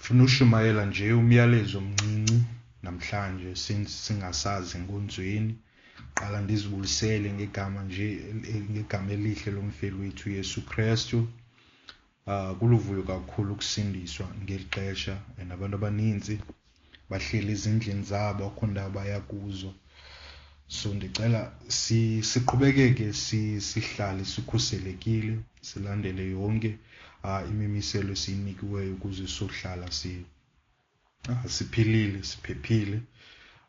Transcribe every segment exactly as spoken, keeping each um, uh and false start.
Ndifuna ushumayela nje umyalezo omncinci namhlanje since singasazi enkonzweni. Qala ndizibulisele ngegama nje ngegama elihle lomfeli wethu uYesu Krestu. Uh, kuluvuyo kakhulu ukusindiswa ngeli xesha and abantu abanintsi bahleli ezindlini zabo, akukho ndawo baya kuzo. So ndicela siqhubekeke sihlale sikhuselekile, silandele yonke uh, imimiselo esiyinikiweyo ukuze sohlala si, uh, siphilile, siphephile.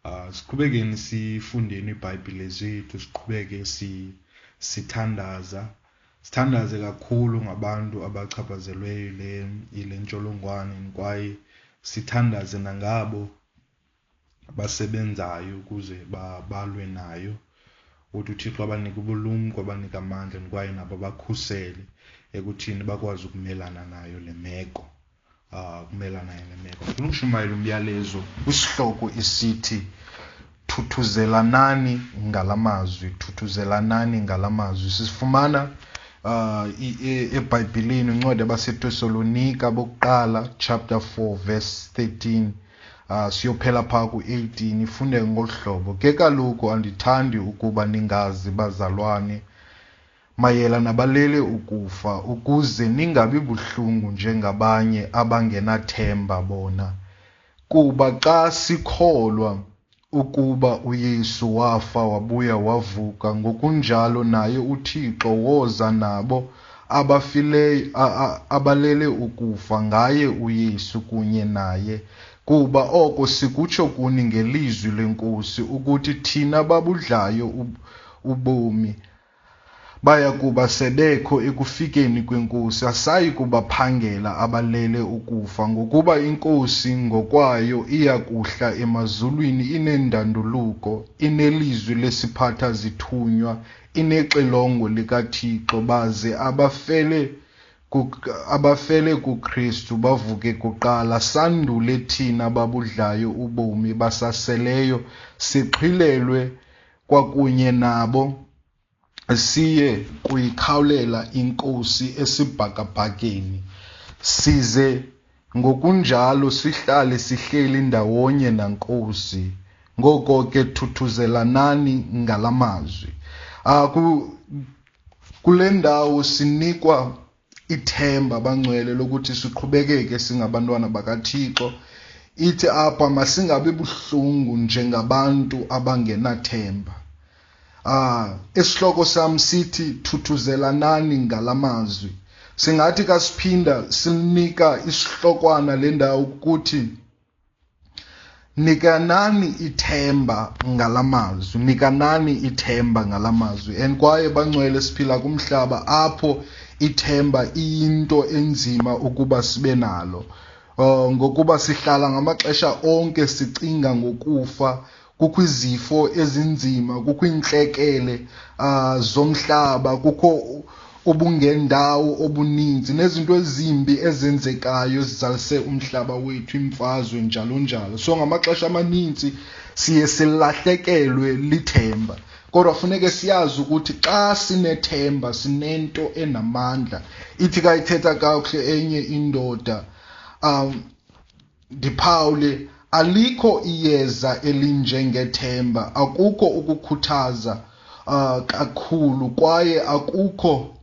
Uh, siqhubekeni sifundeni iiBhayibhile zethu, siqhubeke si, sithandaza. Sithandaze kakhulu ngabantu abachaphazelweyo le yile ntsholongwane kwaye sithandaze nangabo basebenzayo ukuze balwe nayo. Uthi uThixo abanike ubulumko, abanike amandla kwaye nabo bakhusele ekuthini bakwazi ukumelana nayo le meko. Uh, ukumelana nayo le meko. Ndifuna ukushumayela umyalezo kwisihloko esithi thuthuzelanani ngala mazwi, thuthuzelanani ngala mazwi. Sifumana uh, eBhayibhileni incwadi yabaseTesalonika bokuqala chapter four verse thirteen, uh, siyophela phaa ku-eighteen. Ifundeke ngolu hlobo: ke kaloku andithandi ukuba ningazi, bazalwane, mayela nabalele ukufa, ukuze ningabi buhlungu njengabanye abangenathemba bona. Kuba xa sikholwa ukuba uYesu wafa wabuya wavuka, ngokunjalo naye uThixo woza nabo abafileyo abalele ukufa ngaye uYesu kunye naye. Kuba oko sikutsho kuni ngelizwi leNkosi, ukuthi thina babudlayo ubomi baya kuba sebekho ekufikeni kweNkosi, asayi kubaphangela abalele ukufa, ngokuba iNkosi ngokwayo iya kuhla emazulwini inendanduluko, inelizwi lesiphatha zithunywa, inexilongo likaThixo, baze abafele abafele kuKristu bavuke kuqala, sandule thina babudlayo ubomi basaseleyo sixhwilelwe kwakunye nabo siye kuyikhawulela iNkosi esibhakabhakeni, size ngokunjalo sihlale sihleli ndawonye naNkosi. Ngoko ke thuthuzelanani ngala mazwi. Uh, kule ndawo sinikwa ithemba, bangcwele, lokuthi siqhubekeke singabantwana bakaThixo. Ithi apha masingabi buhlungu njengabantu abangenathemba. Ah, isihloko sam sithi thuthuzelanani ngala mazwi. Singathi kasiphinda sinika isihlokwana le ndawo ukuthi nikanani ithemba ngala mazwi, nikanani ithemba ngala mazwi. And kwaye bangcwele, siphila kumhlaba apho ithemba iyinto enzima ukuba sibe nalo. Uh, ngokuba sihlala ngamaxesha onke sicinga ngokufa. Kukho izifo ezinzima, kukho iintlekele uh, zomhlaba, kukho ubungendawo obuninzi nezinto ezimbi ezenzekayo ezizalise umhlaba wethu, imfazwe njalo njalo. So ngamaxesha amaninzi siye silahlekelwe lithemba. Kodwa funeke siyazi ukuthi xa sinethemba sinento enamandla. Ithi kayithetha kakuhle enye indoda, um ndiphawule, alikho iyeza elinjengethemba, akukho ukukhuthaza uh, kakhulu, kwaye akukho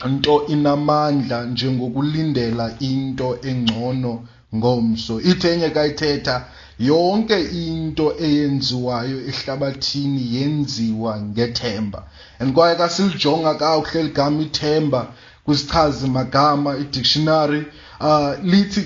nto inamandla njengokulindela into engcono ngomso. Ithi enye kayithetha, yonke into eyenziwayo ehlabathini yenziwa ngethemba. And kwaye kasilijonga kakuhle ligama ithemba kwisichazi magama, i-dictionary, uh, lithi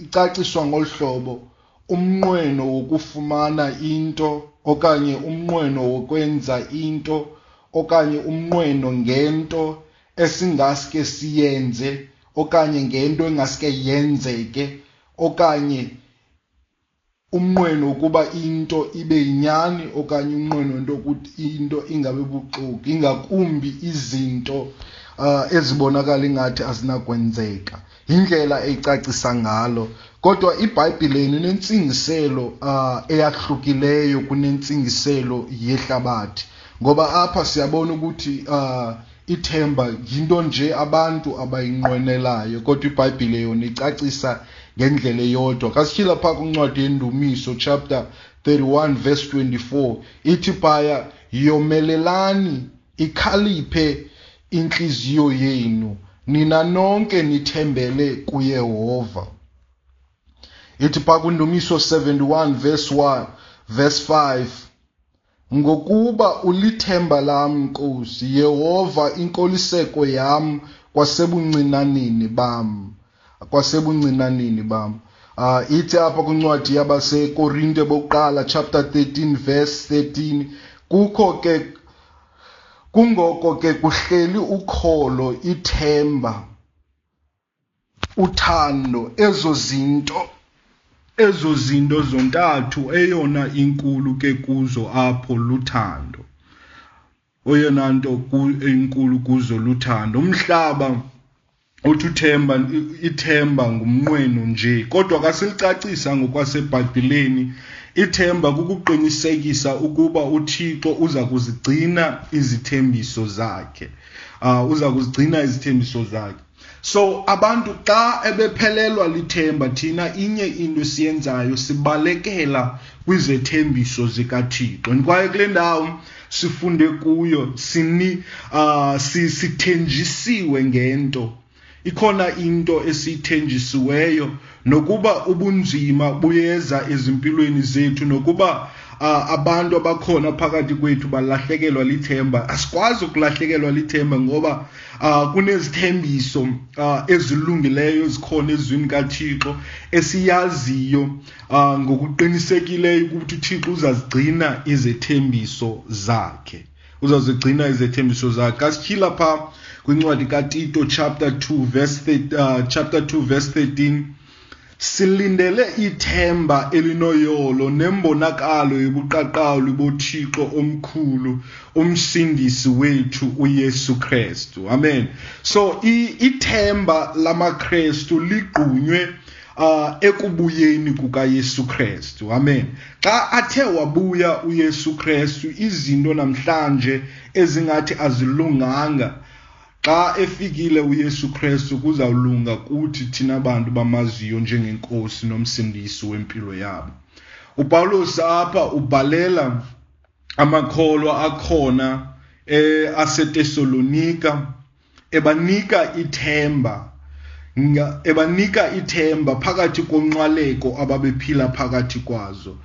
icaciswa ngolu hlobo: umnqweno wokufumana into, okanye umnqweno wokwenza into, okanye umnqweno ngento esingaske siyenze, okanye ngento engaske yenzeke, okanye umnqweno wokuba into ibe yinyani, okanye umnqweno wento yokuthi into ingabe buxoki, ingakumbi izinto uh, ezibonakala ingathi azinakwenzeka. Yindlela eyicacisa ngalo. Kodwa iBhayibhile inentsingiselo uh, eyahlukileyo kunentsingiselo yehlabathi, ngoba apha siyabona ukuthi uh, Ithemba yinto nje abantu abayinqwenelayo, kodwa iBhayibhile yona icacisa ngendlela eyodwa. Xa sityhila phaa kwincwadi yeNdumiso chapter thirty-one verse twenty-four, ithi phaya, yomelelani, ikhaliphe intliziyo yenu, nina nonke nithembele kuYehova. Ithi phaa kwiNdumiso seventy-one verse one, verse five, ngokuba ulithemba lam, Nkosi, Yehova, inkoliseko yam kwasebuncinaneni bam, kwasebuncinaneni bam. Uh, ithi apha kwincwadi yabaseKorinte bokuqala chapter thirteen verse thirteen, kukho ke kungoko ke kuhleli ukholo, ithemba, uthando, ezo zinto ezo zinto zontathu, eyona inkulu ke kuzo apho luthando. Oyona nto inkulu kuzo luthando. Umhlaba uthi uthemba, ithemba ngumnqweno nje, kodwa xa silicacisa ngokwaseBhayibhileni, ithemba kukuqinisekisa ukuba uThixo uza kuzigcina izithembiso zakhe. Uh, uza kuzigcina izithembiso zakhe. So abantu xa ebephelelwa lithemba, thina inye into esiyenzayo, sibalekela kwizethembiso zikaThixo. Kwaye kule ndawo sifunde kuyo sini uh, sithenjisiwe ngento. Ikhona into esiyithenjisiweyo, nokuba ubunzima buyeza ezimpilweni zethu, nokuba uh, abantu abakhona phakathi kwethu balahlekelwa lithemba. Asikwazi ukulahlekelwa lithemba ngoba uh, kunezithembiso uh, ezilungileyo ezikhona ezwini kaThixo esiyaziyo uh, ngokuqinisekileyo ukuthi uThixo uzazigcina izethembiso zakhe. Uzazigcina izethembiso zakhe. Xa sityhila phaa kwincwadi kaTito chapter two verse uh, chapter two verse thirteen, silindele ithemba elinoyolo nembonakalo yobuqaqawuli boThixo omkhulu, umsindisi wethu uYesu Kristu. Amen. So ithemba lamaKristu ligqunywe uh, ekubuyeni kukaYesu Kristu. Amen. Xa athe wabuya uYesu Kristu, izinto namhlanje ezingathi azilunganga, xa efikile uYesu Kristu kuzawulunga kuthi thina bantu bamaziyo njengenkosi nomsindisi wempilo yabo. uPawulos apha ubhalela amakholwa akhona eh, aseTesalonika, ebanika ithemba, ebanika ithemba phakathi konxwaleko ababephila phakathi kwazo.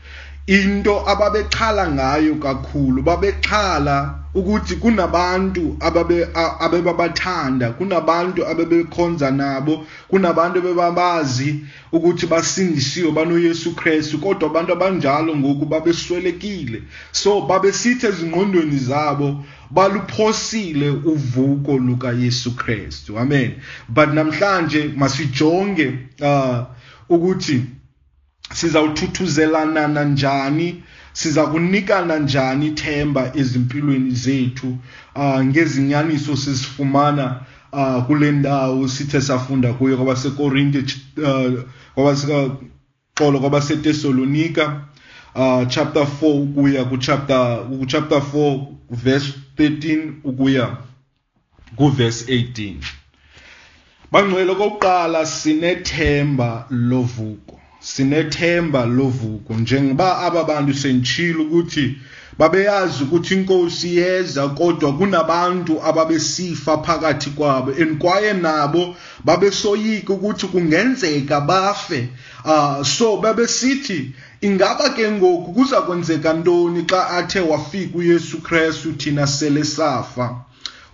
Into ababexhala ngayo kakhulu, babexhala ukuthi kunabantu ababe abebabathanda, kunabantu abebekhonza nabo, kunabantu abebabazi ukuthi basindisiwe banoYesu Kristu, kodwa abantu abanjalo ngoku babeswelekile. So babesithi ezingqondweni zabo baluphosile uvuko lukaYesu Kristu. Amen. But namhlanje masijonge uh, ukuthi sizawuthuthuzelana njani, siza kunikana njani ithemba ezimpilweni zethu uh, ngezinyaniso sizifumana uh, kule ndawo sithe safunda kuyo kwabaseKorinte, uh, kwabaseXolo, kwabaseTesalonika uh, chapter four ukuya ku chapter ku chapter four verse thirteen ukuya ku verse eighteen. Bangcwele, okokuqala sinethemba lovuko. Sinethemba lovuko. Njengoba aba bantu senditshilo ukuthi babeyazi ukuthi inkosi iyeza, kodwa kunabantu ababesifa phakathi kwabo, and kwaye nabo babesoyika ukuthi kungenzeka bafe. Uh, so babesithi ingaba ke ngoku kuza kwenzeka ntoni xa athe wafika uYesu Kristu thina sele safa.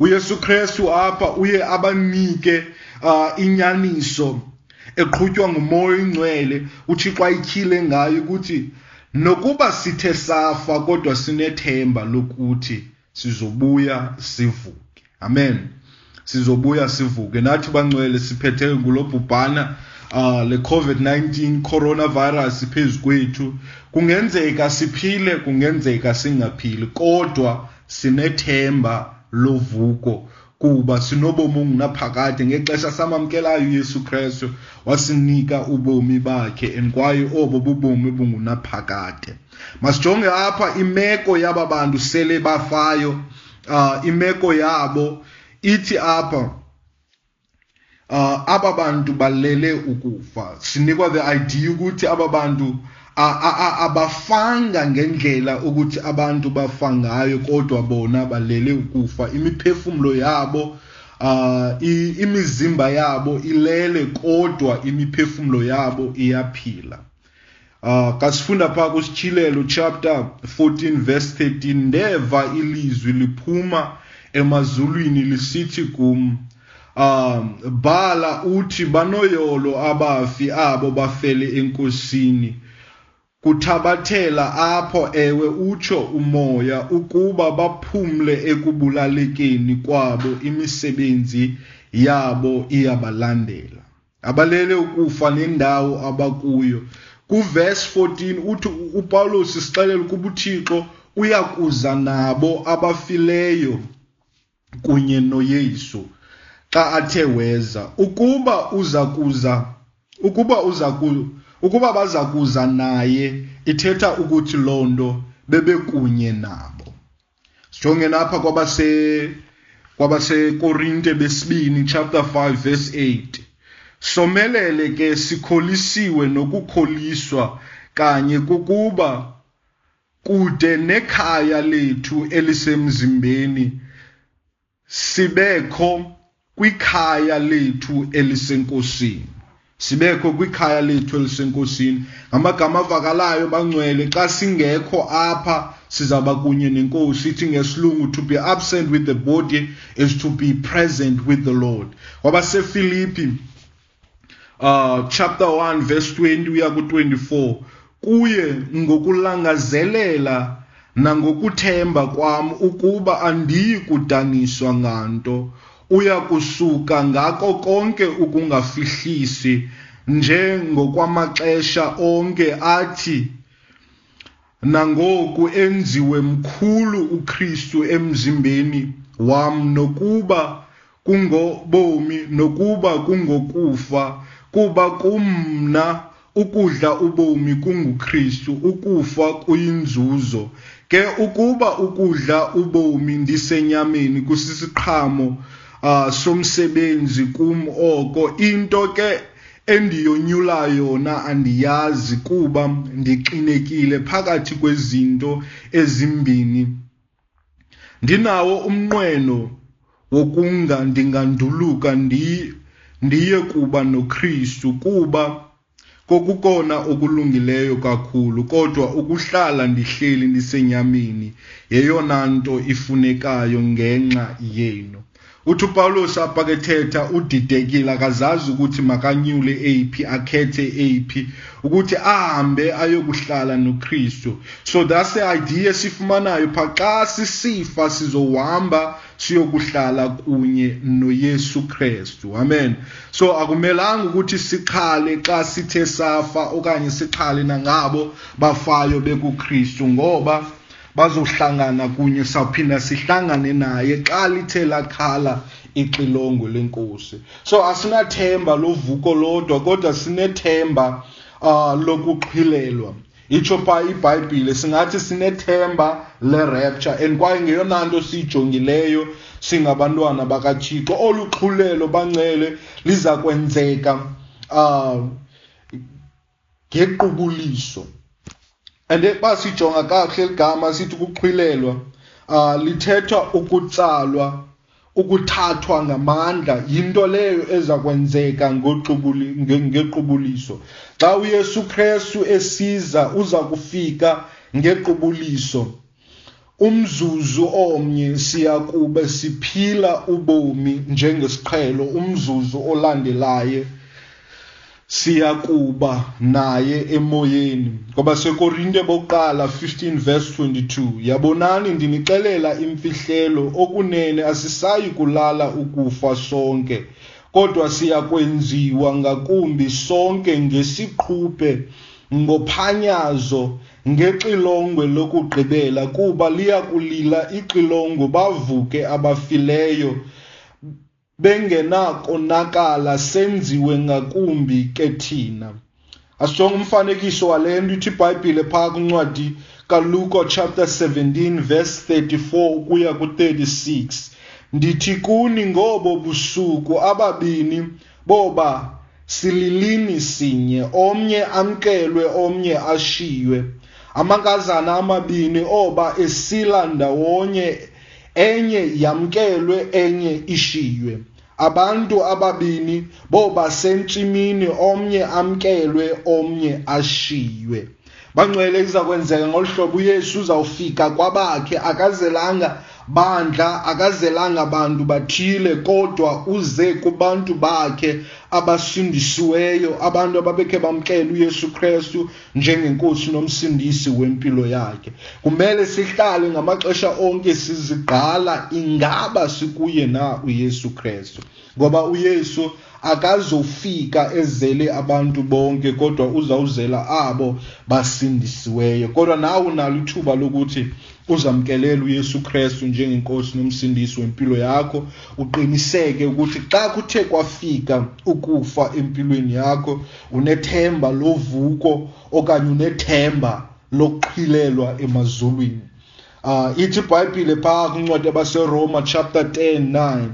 uYesu Kristu apha uye abanike uh, inyaniso eqhutywa nguMoya oyiNgcwele, uThixo ayityhile ngayo ukuthi nokuba sithe safa kodwa sinethemba lokuthi sizobuya sivuke. Amen. Sizobuya sivuke. Nathi bangcwele siphethe ngulo bhubhana uh, le COVID nineteen coronavirus phezu kwethu. Kungenzeka siphile, kungenzeka singaphili, kodwa sinethemba lovuko kuba sinobomi obungunaphakade. Ngexesha samamkelayo uYesu Kristu wasinika ubomi bakhe, and kwaye obo bubomi obungunaphakade. Masijonge apha imeko yaba bantu sele bafayo. Uh, imeko yabo Ithi apha uh, aba bantu balele ukufa. Sinikwa the idea ukuthi aba bantu abafanga ngendlela ukuthi abantu bafa ngayo, kodwa bona balele ukufa. Imiphefumlo yabo, uh, imizimba yabo ilele, kodwa imiphefumlo yabo iyaphila. Uh, kasifunda phaa kuSityhilelo chapter fourteen verse thirteen, ndeva ilizwi liphuma emazulwini lisithi kum, um bhala uthi, banoyolo abafi abo bafele eNkosini, kuthabathela apho, ewe, utsho umoya, ukuba baphumle ekubulalekeni kwabo, imisebenzi yabo iyabalandela. Abalele ukufa nendawo abakuyo. Kuverse fourteen uthi uPawulos sixelela ukuba uThixo uyakuza nabo abafileyo kunye noYesu xa athe weza. Ukuba uza kuza, ukuba uza ku, ukuba baza kuza naye, ithetha ukuthi loo nto bebekunye nabo. Sijonge napha kwabase, kwabaseKorinte besibini chapter five verse eight. Somelele ke sikholisiwe nokukholiswa kanye kukuba kude nekhaya lethu elisemzimbeni, sibekho kwikhaya lethu elisenkosini. Sibekho kwikhaya lethu elisenkosini. Ngamagama avakalayo bangcwele, xa singekho apha sizaba kunye nenkosi. Ithi ngesilungu, to be absent with the body is to be present with the Lord. KwabaseFilipi uh, chapter one verse twenty uya ku twenty-four, kuye ngokulangazelela nangokuthemba kwam ukuba andiyi kudaniswa nganto, uya kusuka ngako konke ukungafihlisi njengokwamaxesha onke, athi nangoku enziwe mkhulu uKristu emzimbeni wam, nokuba kungobomi nokuba kungokufa, kuba kumna ukudla ubomi kunguKristu, ukufa kuyinzuzo. Ke ukuba ukudla ubomi ndisenyameni kusisiqhamo, uh, somsebenzi kum oko, into ke endiyonyula yona andiyazi, kuba ndixinekile phakathi kwezinto ezimbini. Ndinawo umnqweno wokunga ndinganduluka ndi-, ndiye kuba noKristu, kuba kokukona okulungileyo kakhulu, kodwa ukuhlala ndihleli ndisenyameni yeyona nto ifunekayo ngenxa yenu. Uthi uPawulos apha ke thetha udidekile, akazazi ukuthi makanyule eyiphi, akhethe eyiphi, ukuthi ahambe ayokuhlala noKristu. So that's the idea esifumanayo pha, xa sisifa sizohamba siyokuhlala kunye noYesu Kristu. Amen. So akumelanga ukuthi sixhale xa sithe safa, okanye sixhale nangabo bafayo bekuKristu, ngoba bazohlangana kunye, sawuphinda sihlangane naye xa lithe lakhala ixilongo lenkosi. So asinathemba lovuko lodwa, kodwa sinethemba, uh, lokuxhilelwa. Itsho pha iBhayibhile, singathi sinethemba le-rapture, and kwaye ngeyona nto siyijongileyo singabantwana bakaThixo. Olu xhulelo bangcwele liza kwenzeka, uh, ngequbuliso. And xa sijonga kakuhle ligama sithi ukuxhwilelwa, uh, lithetha ukutsalwa, ukuthathwa ngamandla, yinto leyo eza kwenzeka ngoxubuli-, nge-, ngequbuliso. Xa uYesu Kristu esiza, uza kufika ngequbuliso. Umzuzu omnye siya kube siphila ubomi njengesiqhelo, umzuzu olandelayo siya kuba naye emoyeni. KwabaseKorinte bokuqala fifteen verse twenty-two, yabonani ndinixelela imfihlelo, okunene asisayi kulala ukufa sonke, kodwa siya kwenziwa ngakumbi sonke ngesiquphe, ngophanyazo, ngexilongo lokugqibela, kuba liya kulila ixilongo, bavuke abafileyo bengenakonakala, senziwe ngakumbi ke thina. Asijonge umfanekiso wale nto ithi iBhayibhile phaa kwincwadi kaLuka chapter seventeen verse thirty-four ukuya ku thirty-six. Ndithi kuni, ngobo busuku ababini boba sililini sinye, omnye amkelwe, omnye ashiywe. Amankazana amabini oba esila ndawonye, enye yamkelwe, enye ishiywe. Abantu ababini boba sentsimini, omnye amkelwe, omnye ashiywe. Bangcwele, iza kwenzeka ngolu hlobo. UYesu uzawufika kwabakhe, akazelanga bandla, akazelanga bantu bathile, kodwa uze kubantu bakhe abasindisiweyo, abantu ababekhe bamkela uYesu Krestu njengenkosi nomsindisi wempilo yakhe. Kumele sihlale ngamaxesha onke sizigqala ingaba sikuye na uYesu Krestu, ngoba uYesu akazofika ezele abantu bonke, kodwa uzawuzela abo basindisiweyo. Kodwa nawe unalo ithuba lokuthi uzamkelele uYesu Krestu njengenkosi nomsindisi wempilo yakho, uqiniseke ukuthi xa kuthe kwafika ukufa empilweni yakho, unethemba lovuko okanye unethemba lokuxhilelwa emazulwini. Uh, ithi iBhayibhile phaa kwincwadi yabaseRoma chapter ten nine,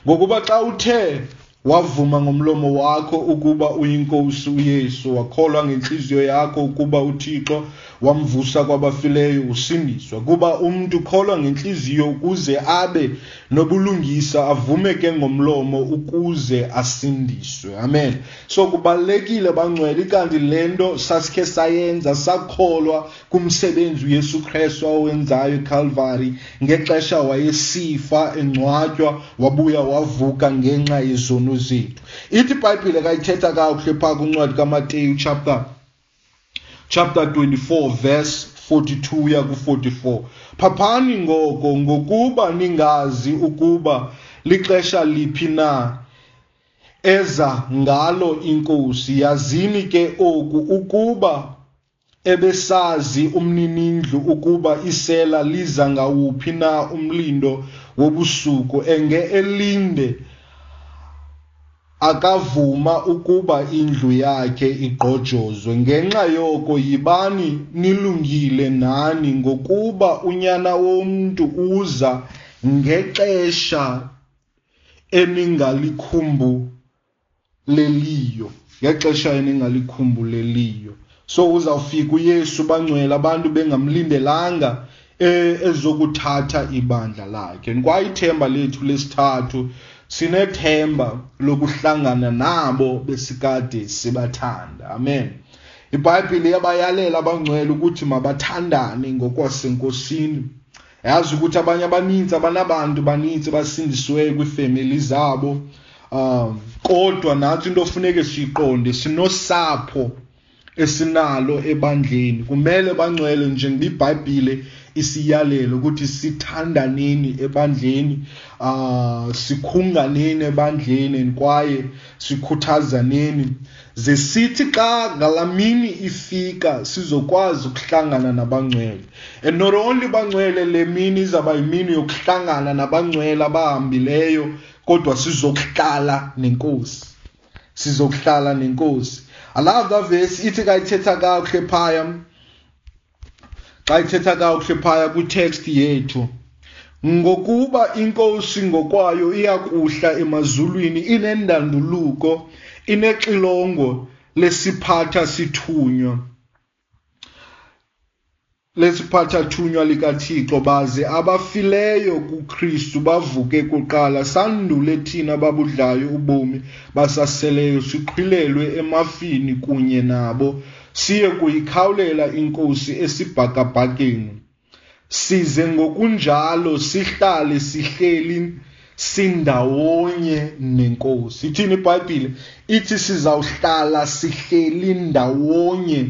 ngokuba xa uthe wavuma ngomlomo wakho ukuba uyinkosi uYesu, wakholwa ngentliziyo yakho ukuba uThixo wamvusa kwabafileyo, usindiswa. Kuba umntu ukholwa ngentliziyo ukuze abe nobulungisa, avume ke ngomlomo ukuze asindiswe. Amen. So kubalulekile bangcwele, ikanti le nto sasikhe sayenza, sakholwa kumsebenzi uYesu Krestu awenzayo eCalvary ngexesha wayesifa, engcwatywa, wabuya wavuka ngenxa yezono zethu. Ithi iBhayibhile kayithetha kakuhle phaa kwincwadi kaMateyu chapter chapter twenty-four verse forty-two uya ku forty-four. Phaphani ngoko, ngokuba ningazi ukuba lixesha liphi na eza ngalo iNkosi. Yazini ke oku, ukuba ebesazi umninindlu ukuba isela liza ngawuphi na umlindo wobusuku, enge elinde akavuma ukuba indlu yakhe igqojozwe. Ngenxa yoko yibani nilungile nani, ngokuba uNyana womntu uza ngexesha eningalikhumbuleliyo, ngexesha eningalikhumbuleliyo. So uzawufika uYesu bangcwele, abantu bengamlindelanga ezokuthatha ibandla lakhe. Kwaye ithemba lethu lesithathu, sinethemba lokuhlangana nabo besikade sibathanda. Amen. IBhayibhile iyabayalela abangcwele ukuthi mabathandane ngokwasenkosini. Yazi ukuthi abanye abaninzi abanabantu baninzi basindisiweyo kwiifemeli zabo. Um, kodwa nathi into ofuneke siyiqonde, sinosapho esinalo ebandleni. Kumele bangcwele, njengoba iBhayibhile isiyalelo ukuthi sithandaneni ebandleni, uh, sikhunganeni ebandleni, kwaye sikhuthazaneni. Ze sithi xa ngalamini ifika sizokwazi ukuhlangana nabangcwele. And not only bangcwele, le mini izawuba yimini yokuhlangana nabangcwele abahambileyo, kodwa sizokuhlala nenkosi. Sizokuhlala nenkosi. I love that verse. Ithi xa ithetha kakuhle phaya, xa ithetha kakuhle phaya kwi-text yethu, ngokuba inkosi ngokwayo iyakuhla emazulwini inendanduluko, inexilongo lesiphatha sithunywa, lesiphatha thunywa likaThixo, baze abafileyo kuKristu bavuke kuqala, sandule thina babudlayo ubomi basaseleyo siqhilelwe emafini kunye nabo, siye kuyikhawulela inkosi esibhakabhakeni, size ngokunjalo sihlale sihleli sindawonye nenkosi. Ithini iBhayibhile? Ithi sizawuhlala sihleli ndawonye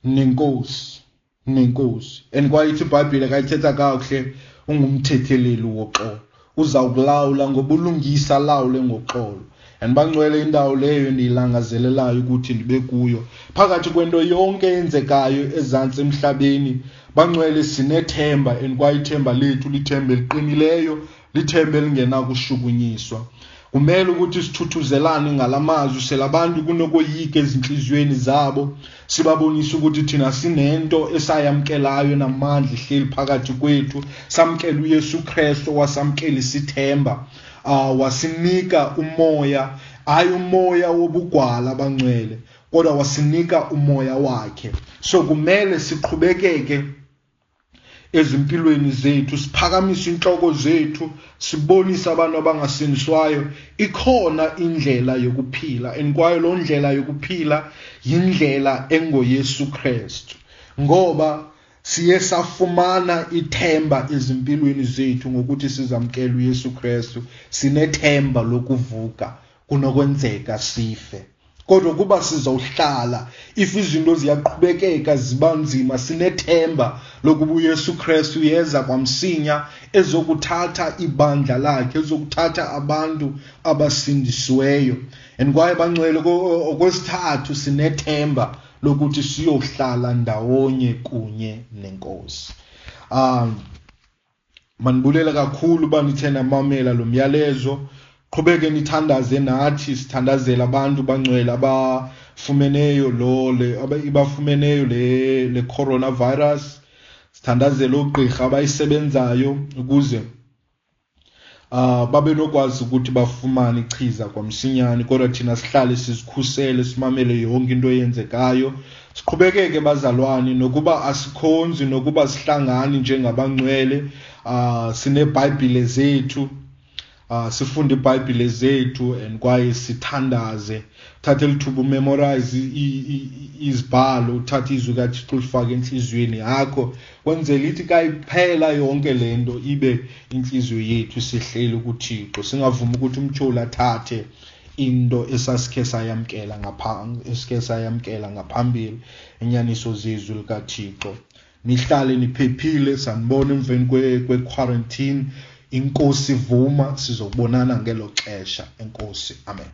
nenkosi, nenkosi. And kwaye ithi iBhayibhile kayithetha kakuhle, ungumthetheleli woxolo, uzawukulawula ngobulungisa, alawule ngoxolo. And bangcwele, indawo leyo endiyilangazelelayo ukuthi ndibe kuyo phakathi kwento yonke eyenzekayo ezantsi emhlabeni. Bangcwele, sinethemba, and kwaye ithemba lethu lithemba eliqinileyo, lithemba elingenakushukunyiswa. Kumele ukuthi sithuthuzelane ngalamazwi selabantu kunokoyika ezinhliziyweni zabo, sibabonise ukuthi thina sinento esayamkelayo namandla ihleli phakathi kwethu. Samkela uYesu Kristu, wasamkela isithemba, uh, wasinika umoya, hayi umoya wobugwala abangcwele, kodwa wasinika umoya wakhe. So kumele siqhubekeke ezimpilweni zethu, siphakamise inhloko zethu, sibonise abantu abangasindiswayo ikhona indlela yokuphila, and kwaye loo ndlela yokuphila yindlela engoYesu Kristu, ngoba siye safumana ithemba ezimpilweni zethu ngokuthi sizamkele uYesu Kristu. Sinethemba lokuvuka, kunokwenzeka sife, kodwa kuba sizawuhlala if izinto ziyaqhubekeka ziba nzima, sinethemba lokuba uYesu Kristu uyeza kwamsinya ezokuthatha ibandla lakhe, ezokuthatha abantu abasindisiweyo. And kwaye bangcwele, okwesithathu sinethemba lokuthi siyohlala ndawonye kunye nenkosi. Um manibulele kakhulu uba nithe namamela lo myalezo. Qhubeke nithandaze nathi, sithandazele abantu bangcwele abafumeneyo lo le abafumeneyo le le coronavirus. Sithandazele oogqirha abayisebenzayo ukuze uh babe nokwazi ukuthi bafumane ichiza kwamsinyane, kodwa thina sihlale sizikhusele, simamele yonke into eyenzekayo. Siqhubekeke bazalwane, nokuba asikhonzi, nokuba sihlangani njengabangcwele, uh sineBhayibhile zethu, Uh, sifunde iBhayibhile zethu and kwaye sithandaze. Uthathe lithuba umemorize izibhalo, uthathe izwi kaThixo ulifake enhliziyweni yakho, kwenzela ithi ka iphela yonke le nto ibe inhliziyo yethu sihleli kuThixo. Singavumi ukuthi umtyholi athathe into esasikhe sayamkela ngapha esikhe sayamkela ngaphambili, inyaniso zezwi likaThixo. Nihlale niphephile, sanibona emveni kwe-quarantine. Inkosi vuma, sizobonana ngelo xesha. Enkosi, amen.